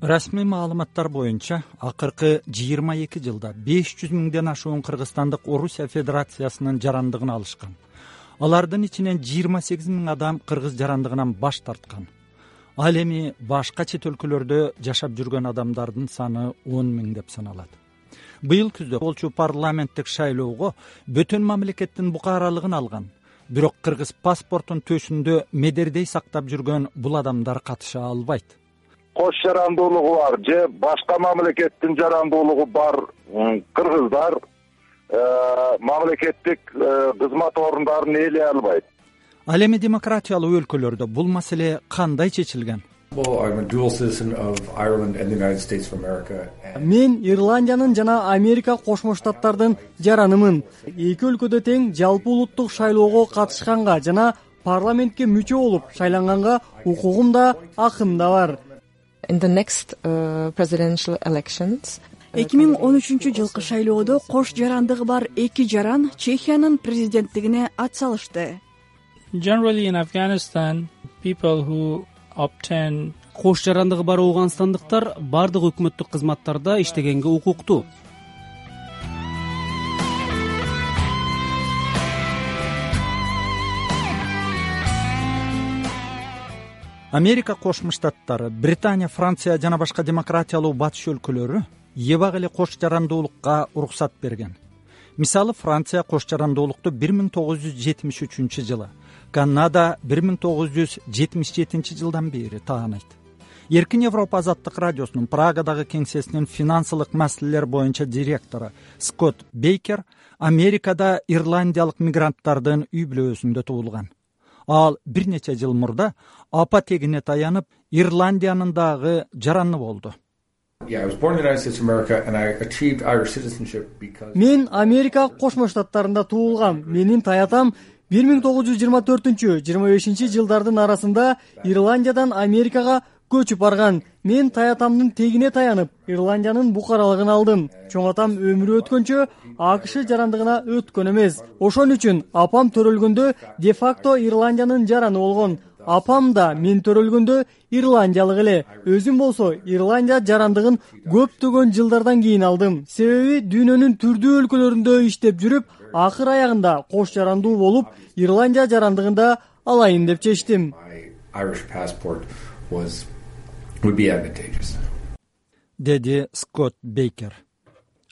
Расмий маалыматтар боюнча акыркы 22 жылда 500 миңден ашуун кыргызстандык Орусия Федерациясынын жарандыгын алышкан. Алардын ичинен 28 миң адам кыргыз жарандыгынан баш тарткан. Ал эми башка чет өлкөлөрдө жашап жүргөн адамдардын саны 10 миң деп саналат. Быйыл күздө болчу парламенттик шайлоого бөтөн мамлекеттин букаралыгын алган. Бирок кыргыз паспортун төшүндө медердей сактап жүргөн бул адамдар катыша албайт. Кош жарандуулугу бар же башка мамлекеттин жарандуулугу бар кыргыздар мамлекеттик кызмат орундарын ээлей албайт. Ал эми демократиялуу өлкөлөрдө бул маселе кандай чечилген? Мен Ирландиянын жана Америка Кошмо Штаттардын жаранымын. Эки өлкөдө тең жалпы улуттук шайлоого катышканга жана парламентке мүчө болуп шайланганга укугум да акым да бар. In the next presidential elections 2013 жылкы шайлоодо кош жарандыгы бар эки жаран Чехиянын президенттигине ат салышты. Generally in Afghanistan, people who obtain кош жарандыгы бар ооганстандыктар бардык өкмөттүк кызматтарда иштегенге укуктуу. Америка Кошмо Штаттары, Британия, Франция жана башка демократиялуу батыш өлкөлөрү эбак эле кош жарандуулукка уруксат берген. Мисалы, Франция кош жарандуулукту 1973 жылы, Канада 1977 жылдан бери таанайт. Эркин Европа азаттык радиосунун Прагадагы кеңсесинин финансылык маселелер боюнча директору Скотт Бейкер Америкада ирландиялык мигранттардын үй бүлөсүндө туулган. Ал бир нече жыл мурда апа тегине таянып, Ирландиянын дагы жараны болду. Мен Америка Кошмо Штаттарында туулгам. Менин таятам 1924-25 жылдардын арасында Ирландиядан Америкага көчүп барган. Мен таятамдын тегине таянып, Ирландиянын букаралыгын алдым. Чоң атам өмүрү өткөнчө АКШ жарандыгына өткөн эмес. Ошон үчүн апам төрөлгөндө де-факто Ирландиянын жараны болгон. Апам да мен төрөлгөндө ирландиялык эле. Өзүм болсо Ирландия жарандыгын көптөгөн жылдардан кийин алдым. Себеби дүйнөнүн түрдүү өлкөлөрүндө иштеп жүрүп, акыр аягында кош жарандуу болуп, Ирландия жарандыгында алайын деп чечтим. Деди Скотт Бейкер.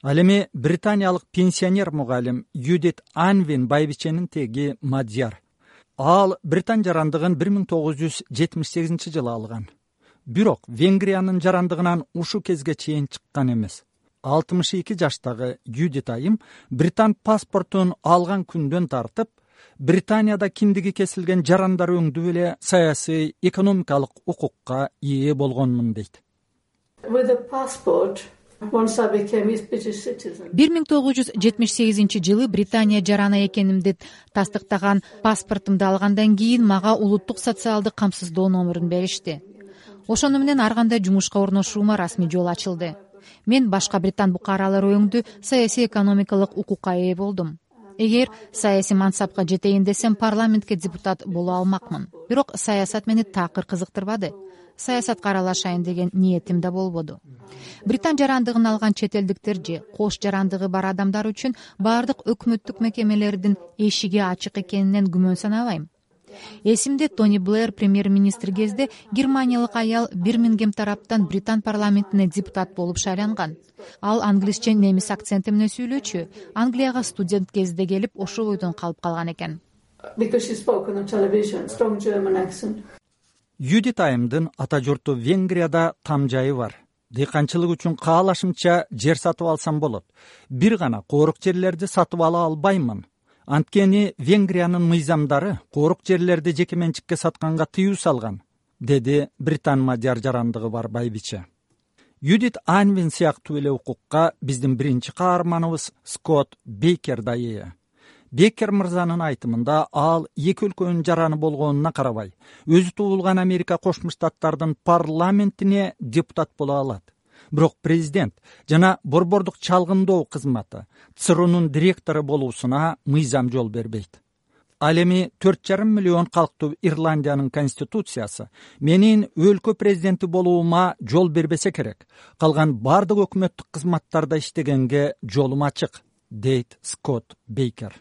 Ал эми британиялык пенсионер мугалим Юдит Анвин байбиченин теги мадьяр. Ал Британ жарандыгын 1978 жылы алган. Бирок Венгриянын жарандыгынан ушу кезге чейин чыккан эмес. 62 жаштагы Юдит айым Британ паспортун алган күндөн тартып Британияда киндиги кесилген жарандар өңдүп эле саясий, экономикалык укукка ээ болгонмун дейт. 1978 жылы Британия жараны экенимди тастыктаган паспортумду алгандан кийин мага улуттук социалдык камсыздоо номерин беришти. Ошону менен ар кандай жумушка орношуума расмий жол ачылды. Мен башка британ букаралары өңдү саясий экономикалык укукка ээ болдум. Эгер саясий мансапка жетейин десем, парламентке депутат боло алмакмын. Бирок саясат мени такыр кызыктырбады. Саясатка аралашайын деген ниетим да болбоду. Британ жарандыгын алган чет элдиктер же кош жарандыгы бар адамдар үчүн бардык өкмөттүк мекемелердин эшиги ачык экенинен күмөн санабайм. Эсимде Тони Блэр премьер-министр кезде германиялык аял Бирмингем тараптан Британ парламентине депутат болуп шайланган. Ал англисче немис акценти менен сүйлөчү. Англияга студент кезде келип, ошол бойдон калып калган экен. Юдит айымдын ата журту Венгрияда там жайы бар. Дыйканчылык үчүн каалашымча жер сатып алсам болот. Бир гана коорук жерлерди сатып ала албаймын. Анткени Венгриянын мыйзамдары коорук жерлерди жеке менчикке сатканга тыюу салган, деди Британ мадьяр жарандыгы бар байбиче. Юдит Анвин сыяктуу эле укукка биздин биринчи каарманыбыз Скотт Бейкер да ээ. Бейкер мырзанын айтымында ал эки өлкөнүн жараны болгонуна карабай, өзү туулган Америка Кошмо Штаттардын парламентине депутат боло алат. Бирок президент жана борбордук чалгындоо кызматы ЦРУнун директору болуусуна мыйзам жол бербейт. ал эми 4,5 миллион калктуу Ирландиянын конституциясы менин өлкө президенти болуума жол бербесе керек. Калган бардык өкмөттүк кызматтарда иштегенге жолум ачык, дейт Скотт Бейкер.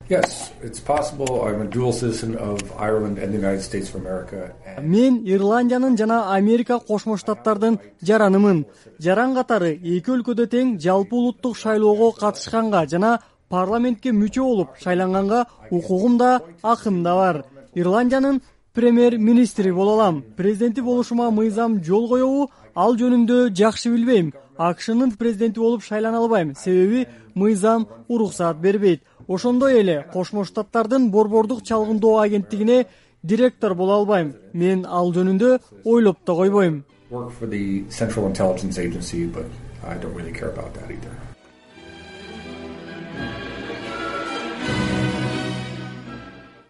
Yes, it's possible. I'm a dual citizen of Ireland and the United States of America. Мен Ирландиянын жана Америка Кошмо Штаттардын жаранымын. Жаран катары эки өлкөдө тең жалпы улуттук шайлоого катышканга жана парламентке мүчө болуп шайланганга укугум да, акым да бар. Ирландиянын премьер-министри боло алам. Президенти болушума мыйзам жол коебу, ал жөнүндө жакшы билбейм. АКШнын президенти болуп шайлана албайм, себеби мыйзам уруксаат бербейт. Ошондой эле Кошмо Штаттардын борбордук чалгындоо агенттигине директор боло албайм. Мен ал жөнүндө ойлоп да койбойм. Work for the Central Intelligence Agency, but I don't really care about that either.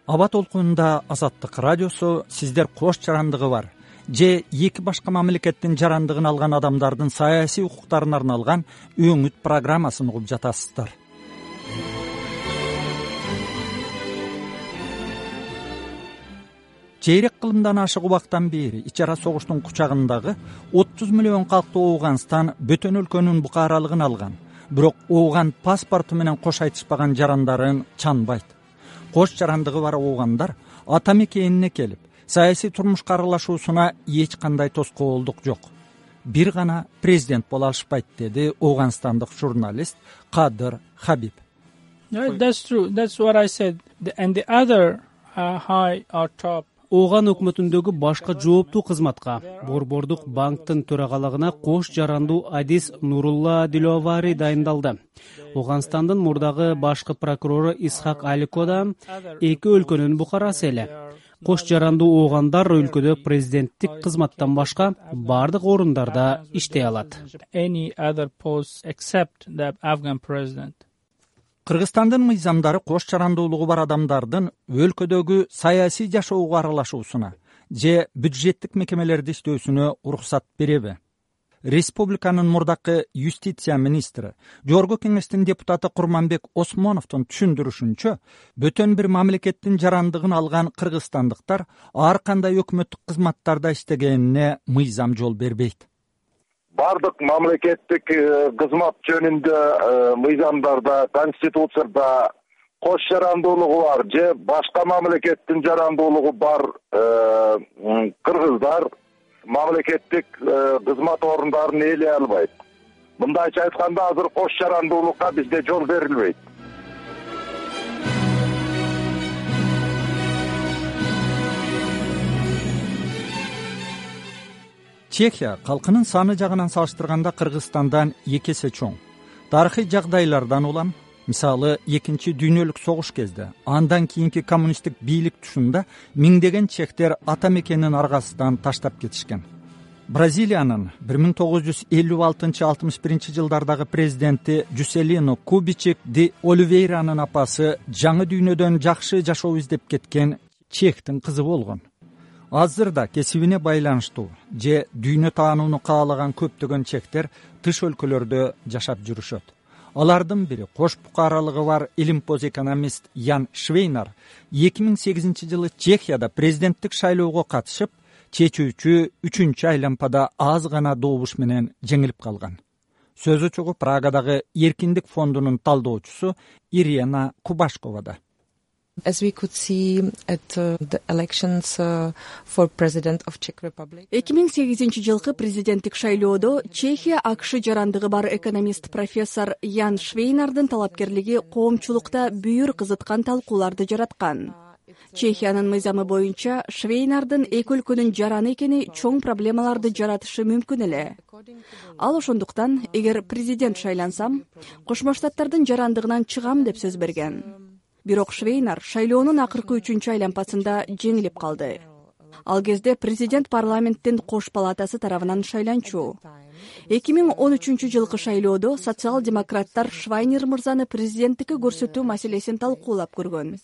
Аба толкунунда Азаттык радиосу сиздер кош жарандыгы бар же эки башка мамлекеттин жарандыгын алган адамдардын саясий укуктарына арналган өңүт программасын угуп жатасыздар. Чейрек кылымдан ашык убактан бери ич ара согуштун кучагындагы 30 миллион калктуу Ооганстан бөтөн өлкөнүн букаралыгын алган. Бирок Ооган паспорту менен кош айтышпаган жарандарын чанбайт. Кош жарандыгы бар оогандар ата мекенине келип, саясий турмушка аралашуусуна эч кандай тоскоолдук жок. Бир гана президент боло алышпайт, деди ооганстандык журналист Кадыр Хабиб. That's true. That's what I said. And the other high or top. Ооган өкмөтүндөгү башка жооптуу кызматка, борбордук банктын төрагалыгына кош жарандуу Адис Нурулла Диловари дайындалды. Ооганстандын мурдагы башкы прокурору Исхак Алико да эки өлкөнүн букарасы эле. Кош жарандуу оогандар өлкөдө президенттик кызматтан башка бардык орундарда иштей алат. Any other post except the Afghan president. Кыргызстандын мыйзамдары кош жарандуулугу бар адамдардын өлкөдөгү саясий жашоого аралашуусуна же бюджеттик мекемелерде иштөөсүнө уруксат береби? Республиканын мурдакы юстиция министри, Жогорку кеңештин депутаты Курманбек Осмоновдун түшүндүрүшүнчө, бөтөн бир мамлекеттин жарандыгын алган кыргызстандыктар ар кандай өкмөттүк кызматтарда иштегенине мыйзам жол бербейт. Бардык мамлекеттик кызмат жөнүндө мыйзамдарда, конституцияда кош жарандуулугу бар же башка мамлекеттин жарандуулугу бар кыргыздар мамлекеттик кызмат орундарын ээлей албайт. Мындайча айтканда азыр кош жарандуулукка бизде жол берилбейт. Чехия калкынын саны жагынан салыштырганда Кыргызстандан 2 эсе чоң. Тарыхый жагдайлардан улам, мисалы Экинчи дүйнөлүк согуш кезде, андан кийинки коммунисттик бийлик тушунда миңдеген чехтер ата мекенин аргасынан таштап кетишкен. Бразилиянын 1956-61 жылдардагы президенти Жуселино Кубичек ди Оливейранын апасы жаңы дүйнөдөн жакшы жашоо издеп кеткен чехтин кызы болгон. Азыр да кесибине байланыштуу же дүйнө таанууну каалаган көптөгөн чехтер тыш өлкөлөрдө жашап жүрүшөт. Алардын бири кош букаралыгы бар илимпоз экономист Ян Швейнар 2008 жылы Чехияда президенттик шайлоого катышып, чечүүчү 3-чү айлампада аз гана добуш менен жеңилип калган. Сөзү чыгып Прагадагы Эркиндик фондунун талдоочусу Ирина Кубашковада. As we could see at the elections for President of Czech Republic. 2008 жылкы президенттик шайлоодо Чехия АКШ жарандыгы бар экономист профессор Ян Швейнардын талапкерлиги коомчулукта бүйүр кызыткан талкууларды жараткан. Чехиянын мыйзамы боюнча Швейнардын эки өлкөнүн жараны экени чоң проблемаларды жаратышы мүмкүн эле. Ал ошондуктан, эгер президент шайлансам, Кошмо Штаттардын жарандыгынан чыгам деп сөз берген. Бирок Швейнар шайлоонун акыркы 3-чү айлампасында жеңилип калды. Ал кезде президент парламенттин кош палатасы тарабынан шайланчу. 2013 жылкы шайлоодо социал-демократтар Швайнер мырзаны президенттикке көрсөтүү маселесин талкуулап көргөн.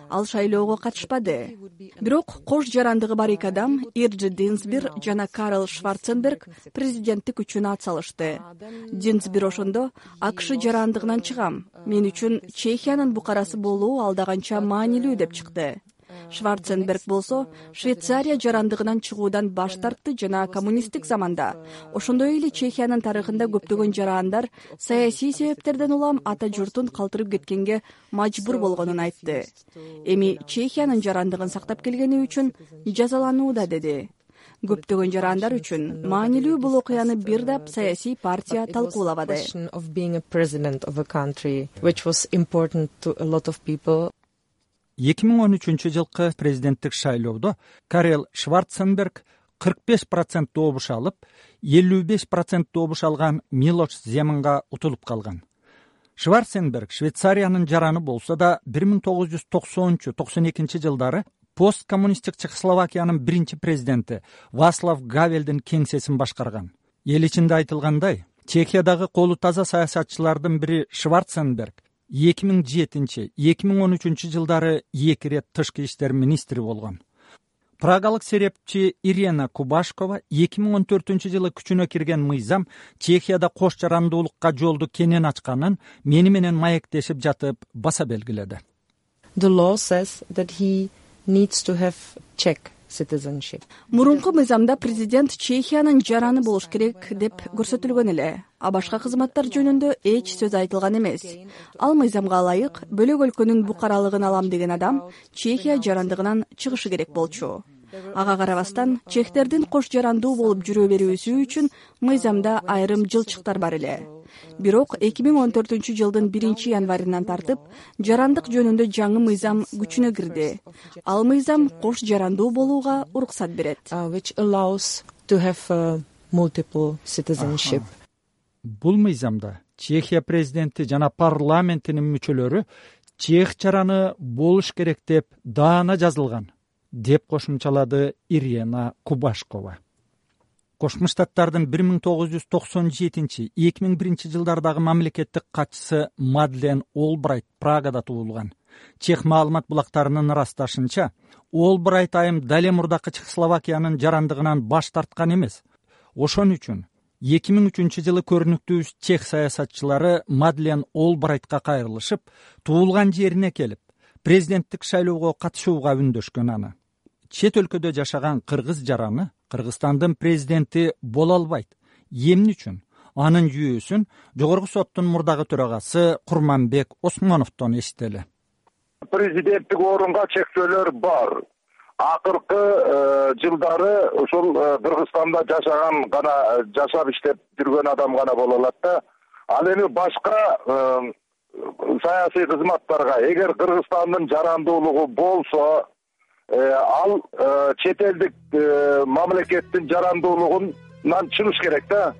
Ал шайлоого катышпады. Бирок кош жарандыгы бар эки адам, Ирджи Динсбир жана Карл Шварценберг, президенттик үчүн ат салышты. Динсбир ошондо АКШ жарандыгынан чыгам. Мен үчүн Чехиянын букарасы болуу алдаганча маанилүү деп чыкты. Шварценберг болсо Швейцария жарандыгынан чыгуудан баш тартты жана коммунисттик заманда, ошондой эле Чехиянын тарыхында көптөгөн жарандар саясий себептерден улам ата журтун калтырып кеткенге мажбур болгонун айтты. Эми Чехиянын жарандыгын сактап келгени үчүн жазаланууда деди. Көптөгөн жарандар үчүн маанилүү бул окуяны бир дап саясий партия талкуулабады. 2013 жылкы президенттик шайлоодо Карл Шварценберг 45% добуш алып, 55% добуш алган Милош Земанга утулуп калган. Шварценберг Швейцариянын жараны болсо да 1990-92 жылдары посткоммунисттик Чехословакиянын биринчи президенти Вацлав Гавелдин кеңсесин башкарган. Эл ичинде айтылгандай, Чехиядагы колу таза саясатчылардын бири Шварценберг 2007-2013 жылдары 2 рет тышкы иштер министри болгон. Прагалык серепчи Ирина Кубашкова 2014 жылы күчүнө кирген мыйзам Чехияда кош жарандуулукка жолду кенен ачканын мени менен маектешип жатып баса белгиледи. The law says that he needs to have Czech citizenship. Мурунку мыйзамда президент Чехиянын жараны болуш керек деп көрсөтүлгөн эле. А башка кызматтар жөнүндө эч сөз айтылган эмес. Ал мыйзамга ылайык бөлөк өлкөнүн букаралыгын алам деген адам Чехия жарандыгынан чыгышы керек болчу. Ага карабастан чехтердин кош жарандуу болуп жүрө берүүсү үчүн мыйзамда айрым жылчыктар бар эле. Бирок 2014 жылдын 1-январынан тартып жарандык жөнүндө жаңы мыйзам күчүнө кирди. Ал мыйзам кош жарандуу болууга уруксат берет. Which allows to have multiple citizenship. Бул мыйзамда Чехия президенти жана парламентинин мүчөлөрү чех жараны болуш керек деп даана жазылган, деп кошумчалады Ирина Кубашкова. Кошмо Штаттардын 1997-2001 жылдардагы мамлекеттик катчысы Мадлен Олбрайт Прагада туулган. Чех маалымат булактарынын ырасташынча, Олбрайт айым дале мурдакы Чехословакиянын жарандыгынан баш тарткан эмес. Ошон үчүн 2003 жылы көрүнүктүү чех саясатчылары Мадлен Олбрайтка кайрылышып, туулган жерине келип, президенттик шайлоого катышууга үндөшкөн аны. Чет өлкөдө жашаган кыргыз жараны Кыргызстандын президенти боло албайт. Эмне үчүн? Анын жүйөсүн жогорку соттун мурдагы төрагасы Курманбек Осмоновдон эстели. Президенттик орунга чектөөлөр бар. Акыркы жылдары ушул Кыргызстанда жашаган гана жашап иштеп жүргөн адам гана боло алат да. Ал эми башка саясий кызматтарга эгер Кыргызстандын жарандуулугу болсо, ал чет элдик мамлекеттин жарандуулугунан чыгыш керек да.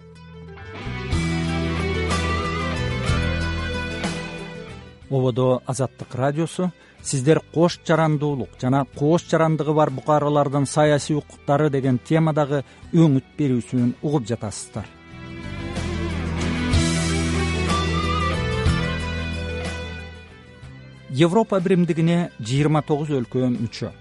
Ободо Азаттык радиосу. Сиздер кош жарандуулук жана кош жарандыгы бар букаралардын саясий укуктары деген темадагы өңүт берүүсүн угуп жатасыздар. Европа биримдигине 29 өлкө мүчө.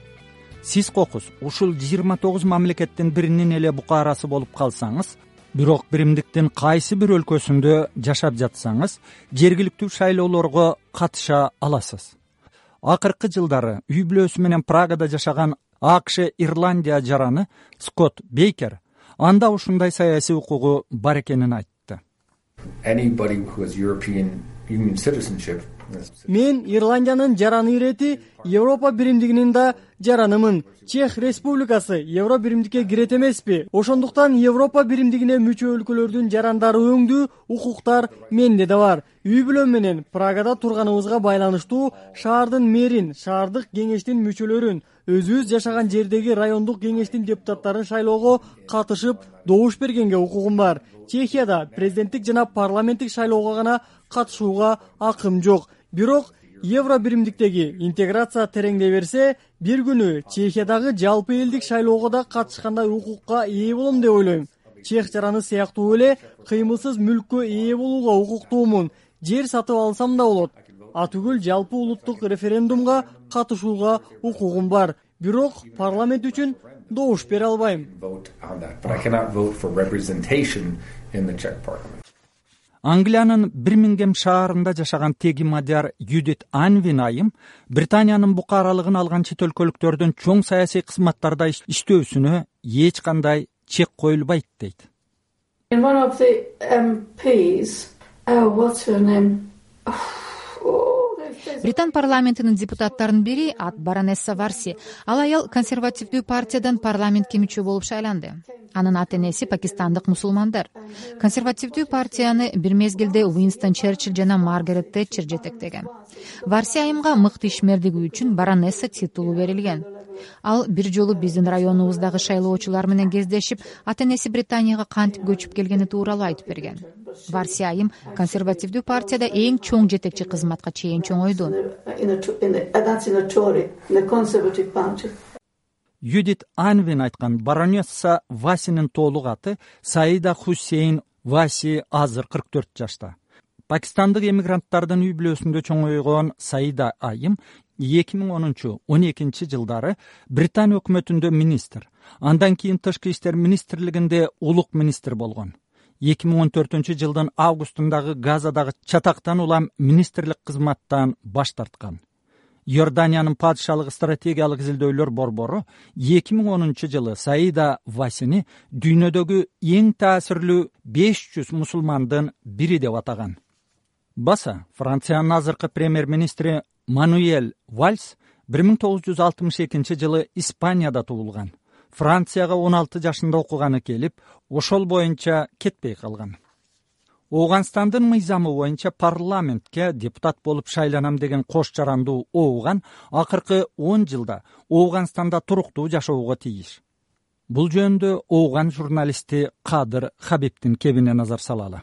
Сиз кокус ушул 29 мамлекеттин биринин эле букарасы болуп калсаңыз, бирок биримдиктин кайсы бир өлкөсүндө жашап жатсаңыз, жергиликтүү шайлоолорго катыша аласыз. Акыркы жылдары үй бүлөсү менен Прагада жашаган АКШ Ирландия жараны Скотт Бейкер анда ушундай саясий укугу бар экенин айтты. Мен Ирландиянын жараны ирети Европа биримдигинин да жаранымын. Чех Республикасы Евро биримдикке кирет эмеспи? Ошондуктан Европа биримдигине мүчө өлкөлөрдүн жарандары өңдүү укуктар менде да бар. Үй бүлөм менен Прагада турганыбызга байланыштуу шаардын мэрин, шаардык кеңештин мүчөлөрүн, өзүбүз жашаган жердеги райондук кеңештин депутаттарын шайлоого катышып, добуш бергенге укугум бар. Чехияда президенттик жана парламенттик шайлоого гана катышууга акым жок. Бирок евро биримдиктеги интеграция тереңдей берсе, бир күнү Чехиядагы жалпы элдик шайлоого да катышкандай укукка ээ болом деп ойлойм. Чех жараны сыяктуу эле кыймылсыз мүлккө ээ болууга укуктуумун. Жер сатып алсам да болот. Атүгүл жалпы улуттук референдумга катышууга укугум бар. Бирок парламент үчүн добуш бере албайм. Англиянын Бирмингем шаарында жашаган теги мадияр Юдит Анвин айым Британиянын букаралыгын алган чет өлкөлүктөрдүн чоң саясий кызматтарда иштөөсүнө эч кандай чек коюлбайт дейт. One of the MPs, what's her name? Британ парламентинин депутаттарынын бири ат баронесса Варси. Ал аял консервативдүү партиядан парламентке мүчө болуп шайланды. Анын ата энеси пакистандык мусулмандар. Консервативдүү партияны бир мезгилде Уинстон Черчилль жана Маргарет Тэтчер жетектеген. Варси айымга мыкты ишмердиги үчүн баронесса титулу берилген. Ал бир жолу биздин районубуздагы шайлоочулар менен кездешип, ата энеси Британияга кантип көчүп келгени тууралуу айтып берген. Варси айым консервативдүү партияда эң чоң жетекчи кызматка чейин чоңойду. Юдит Анвин айткан баронесса Васинин толук аты Саида Хусейн Васи, азыр 44 жашта. Пакистандык эмигранттардын үй бүлөсүндө чоңойгон Саида айым 2010-12 жылдары Британ өкмөтүндө министр, андан кийин тышкы иштер министрлигинде улук министр болгон. 2014 жылдын августундагы Газадагы чатактан улам министрлик кызматтан баш тарткан. Иорданиянын падышалык стратегиялык изилдөөлөр борбору 2010 жылы Саида Васини дүйнөдөгү эң таасирлүү 500 мусулмандын бири деп атаган. Баса Франциянын азыркы премьер-министри Мануэль Вальс 1962 жылы Испанияда туулган. Францияга 16 жашында окуганы келип, ошол боюнча кетпей калган. Ооганстандын мыйзамы боюнча парламентке депутат болуп шайланам деген кош жарандуу ооган акыркы 10 жылда Ооганстанда туруктуу жашоого тийиш. Бул жөнүндө ооган журналисти Кадыр Хабибдин кебине назар салалы.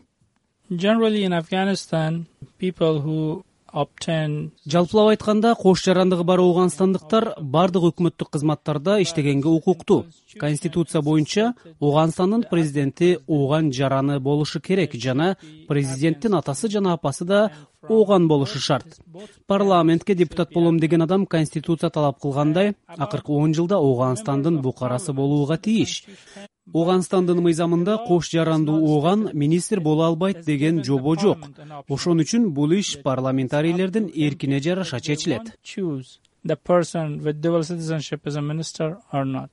Generally in Afghanistan, people who жалпылап айтканда, кош жарандыгы бар ооганстандыктар бардык өкмөттүк кызматтарда иштегенге укуктуу. Конституция боюнча Ооганстандын президенти ооган жараны болушу керек жана президенттин атасы жана апасы да ооган болушу шарт. Парламентке депутат болом деген адам конституция талап кылгандай, акыркы 10 жылда Ооганстандын букарасы болууга тийиш. Ооганстандын мыйзамында кош жарандуу ооган министр боло албайт деген жобо жок. Ошон үчүн бул иш парламентарийлердин эркине жараша чечилет. The person with dual citizenship is a minister or not.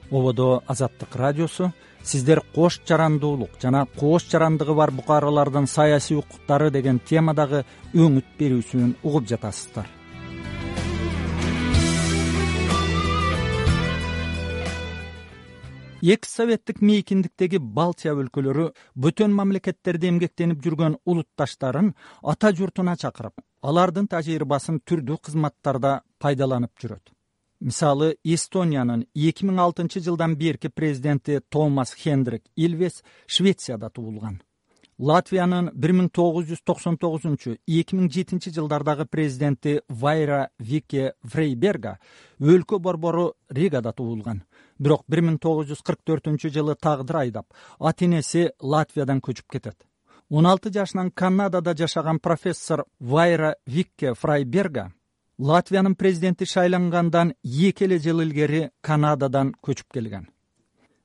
Ободо Азаттык радиосу, сиздер кош жарандуулук жана кош жарандыгы бар букаралардын саясий укуктары деген темадагы өңүт берүүсүн угуп жатасыздар. Экс советтик мейкиндиктеги Балтия өлкөлөрү бөтөн мамлекеттерде эмгектенип жүргөн улутташтарын ата журтуна чакырып, алардын тажрыйбасын түрдүү кызматтарда пайдаланып жүрөт. Мисалы, Эстониянын 2006 жылдан берки президенти Томас Хендрик Илвес Швецияда туулган. Латвиянын 1999-2007 жылдардагы президенти Вайра Вике Фрейберга өлкө борбору Ригада туулган. Бирок 1944 жылы тагдыр айдап, ата энеси Латвиядан көчүп кетет. 16 жашынан Канадада жашаган профессор Вайра Викке Фрейберга Латвиянын президенти шайлангандан 2 эле жыл илгери Канададан көчүп келген.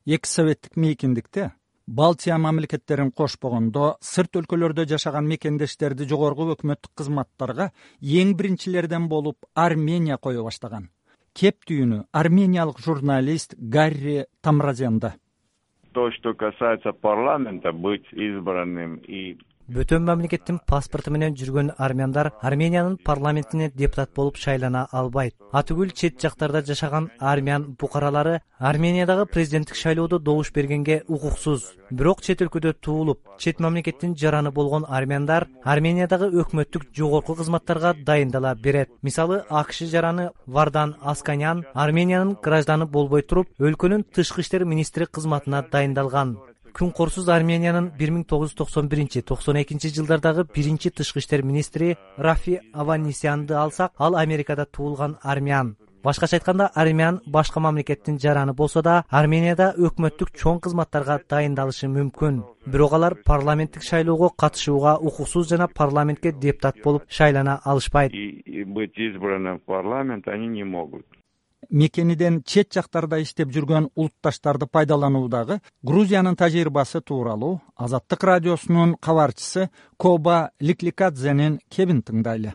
Экс советтик мейкиндикте Балтия мамлекеттерин кошпогондо сырт өлкөлөрдө жашаган мекендештерди жогорку өкмөттүк кызматтарга эң биринчилерден болуп Армения кое баштаган. Кептүүнү армениялык журналист Гарри Тамразенда. То, что касается парламента, быть избранным и Бөтөн мамлекеттин паспорту менен жүргөн армяндар Армениянын парламентине депутат болуп шайлана албайт. Атүгүл чет жактарда жашаган армян букаралары Армениядагы президенттик шайлоодо добуш бергенге укуксуз. Бирок чет өлкөдө туулуп, чет мамлекеттин жараны болгон армяндар Армениядагы өкмөттүк жогорку кызматтарга дайындала берет. Мисалы, АКШ жараны Вардан Асканян Армениянын гражданы болбой туруп, өлкөнүн тышкы иштер министри кызматына дайындалган. Күн корсуз Армениянын 1991-92 жылдардагы биринчи тышкы иштер министри Рафи Аванесянды алсак, ал Америкада туулган армян. Башкача айтканда, армян башка мамлекеттин жараны болсо да, Арменияда өкмөттүк чоң кызматтарга дайындалышы мүмкүн. Бирок алар парламенттик шайлоого катышууга укуксуз жана парламентке депутат болуп шайлана алышпайт. Быть избранным в парламент они не могут. Мекениден чет жактарда иштеп жүргөн улутташтарды пайдалануудагы Грузиянын тажрыйбасы тууралуу Азаттык радиосунун кабарчысы Коба Ликликадзенин кебин тыңдайлы.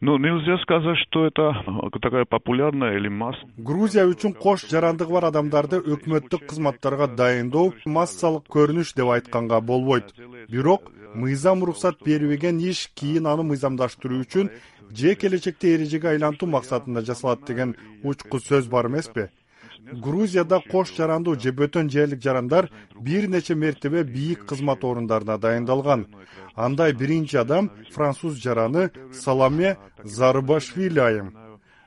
Нельзя сказать, что это такая популярная или масса. Грузия үчүн кош жарандыгы бар адамдарды өкмөттүк кызматтарга дайындоо массалык көрүнүш деп айтканга болбойт. Бирок мыйзам уруксат бербеген иш кийин аны мыйзамдаштыруу үчүн же келечекте эрежеге айлантуу максатында жасалат деген учку сөз бар эмеспи? Грузияда кош жарандуу же бөтөн жерлик жарандар бир нече мертебе бийик кызмат орундарына дайындалган. Андай биринчи адам француз жараны Саломе Зарубашвили айым.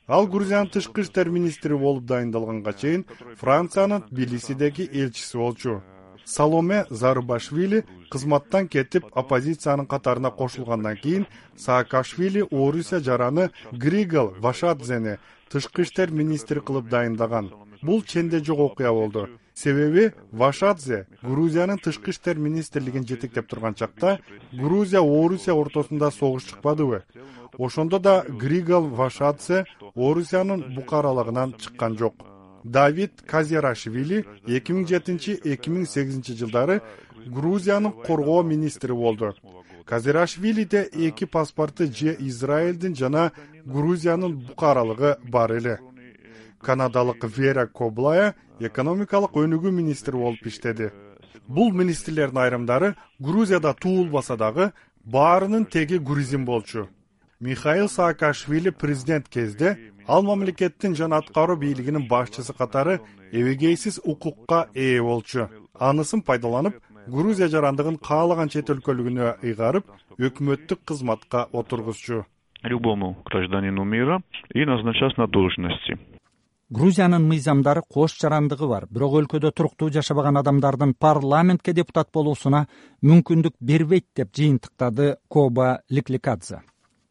Ал Грузиянын тышкы иштер министри болуп дайындалганга чейин Франциянын Тбилисидеги элчиси болчу. Саломе Зарубашвили кызматтан кетип оппозициянын катарына кошулгандан кийин Саакашвили Орусия жараны Григол Вашадзени тышкы иштер министри кылып дайындаган. Бул ченде жок окуя болду. Себеби Вашадзе Грузиянын тышкы иштер министрлигин жетектеп турган чакта Грузия Орусия ортосунда согуш чыкпадыбы? Ошондо да Григол Вашадзе Орусиянын букаралыгынан чыккан жок. Давид Казерашвили 2007-2008 жылдары Грузиянын коргоо министри болду. Казерашвилиде эки паспорты же Израилдин жана Грузиянын букаралыгы бар эле. Канадалык Вера Коблая экономикалык өнүгүү министри болуп иштеди. Бул министрлердин айрымдары Грузияда туулбаса дагы баарынын теги грузин болчу. Михаил Саакашвили президент кезде ал мамлекеттин жана аткаруу бийлигинин башчысы катары эбегейсиз укукка ээ болчу. Анысын пайдаланып, Грузия жарандыгын каалаган чет өлкөлүгүнө ыйгарып, өкмөттүк кызматка отургузчу. Любому гражданину мира и назначать на должности. Грузиянын мыйзамдары кош жарандыгы бар, бирок өлкөдө туруктуу жашабаган адамдардын парламентке депутат болуусуна мүмкүндүк бербейт деп жыйынтыктады Коба Ликликадзе.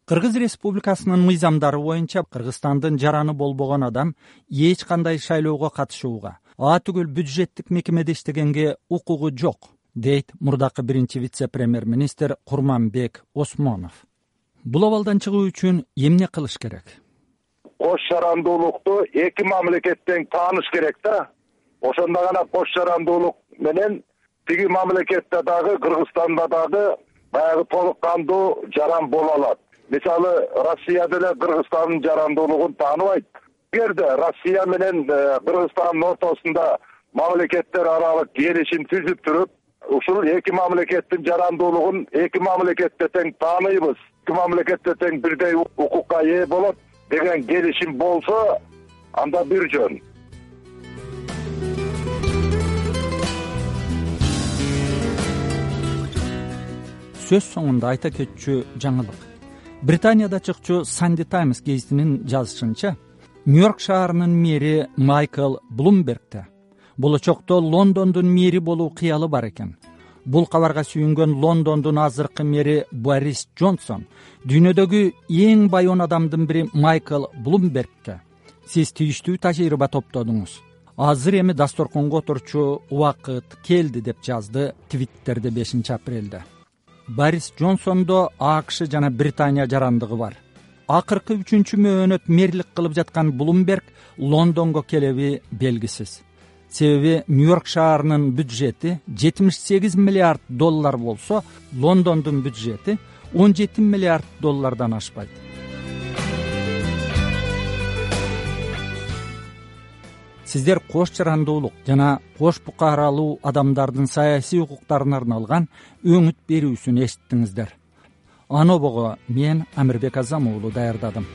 Кыргыз Республикасынын мыйзамдары боюнча Кыргызстандын жараны болбогон адам эч кандай шайлоого катышууга, түгүл бюджеттик мекемеде иштегенге укугу жок, дейт мурдакы биринчи вице-премьер-министр Курманбек Осмонов. Бул абалдан чыгуу үчүн эмне кылыш керек? Кош жарандуулукту эки мамлекеттен тааныш керек да. Ошондо гана кош жарандуулук менен тиги мамлекетте дагы Кыргызстанда дагы баягы толук кандуу жаран боло алат. Мисалы, Россия деле Кыргызстандын жарандуулугун тааныбайт. Эгерде Россия менен Кыргызстандын ортосунда мамлекеттер аралык келишим түзүп туруп, ушул эки мамлекеттин жарандуулугун эки мамлекетте тең тааныйбыз, эки мамлекетте тең бирдей укукка ээ болот деген келишим болсо, анда бир жөн. Сөз соңунда айта кетчү жаңылык. Британияда чыкчу Sunday Times гезитинин жазышынча, Нью-Йорк шаарынын мэри Майкл Блумбергде болочокто Лондондун мэри болуу кыялы бар экен. Бул кабарга сүйүнгөн Лондондун азыркы мэри Борис Джонсон дүйнөдөгү эң бай 10 адамдын бири Майкл Блумбергге: "Сиз тийиштүү тажрыйба топтодуңуз. Азыр эми дасторконго отурчу убакыт келди", деп жазды Твиттерде 5 апрелде. Борис Джонсондо АКШ жана Британия жарандыгы бар. Акыркы 3-чү мөөнөт мэрлик кылып жаткан Блумберг Лондонго келеби белгисиз. Себеби Нью-Йорк шаарынын бюджети 78 миллиард доллар болсо, Лондондун бюджети 17 миллиард доллардан ашпайт. Сиздер кош жарандуулук жана кош букаралуу адамдардын саясий укуктарына арналган өңүт берүүсүн эшиттиңиздер. Анобого мен Амирбек Азам уулу даярдадым.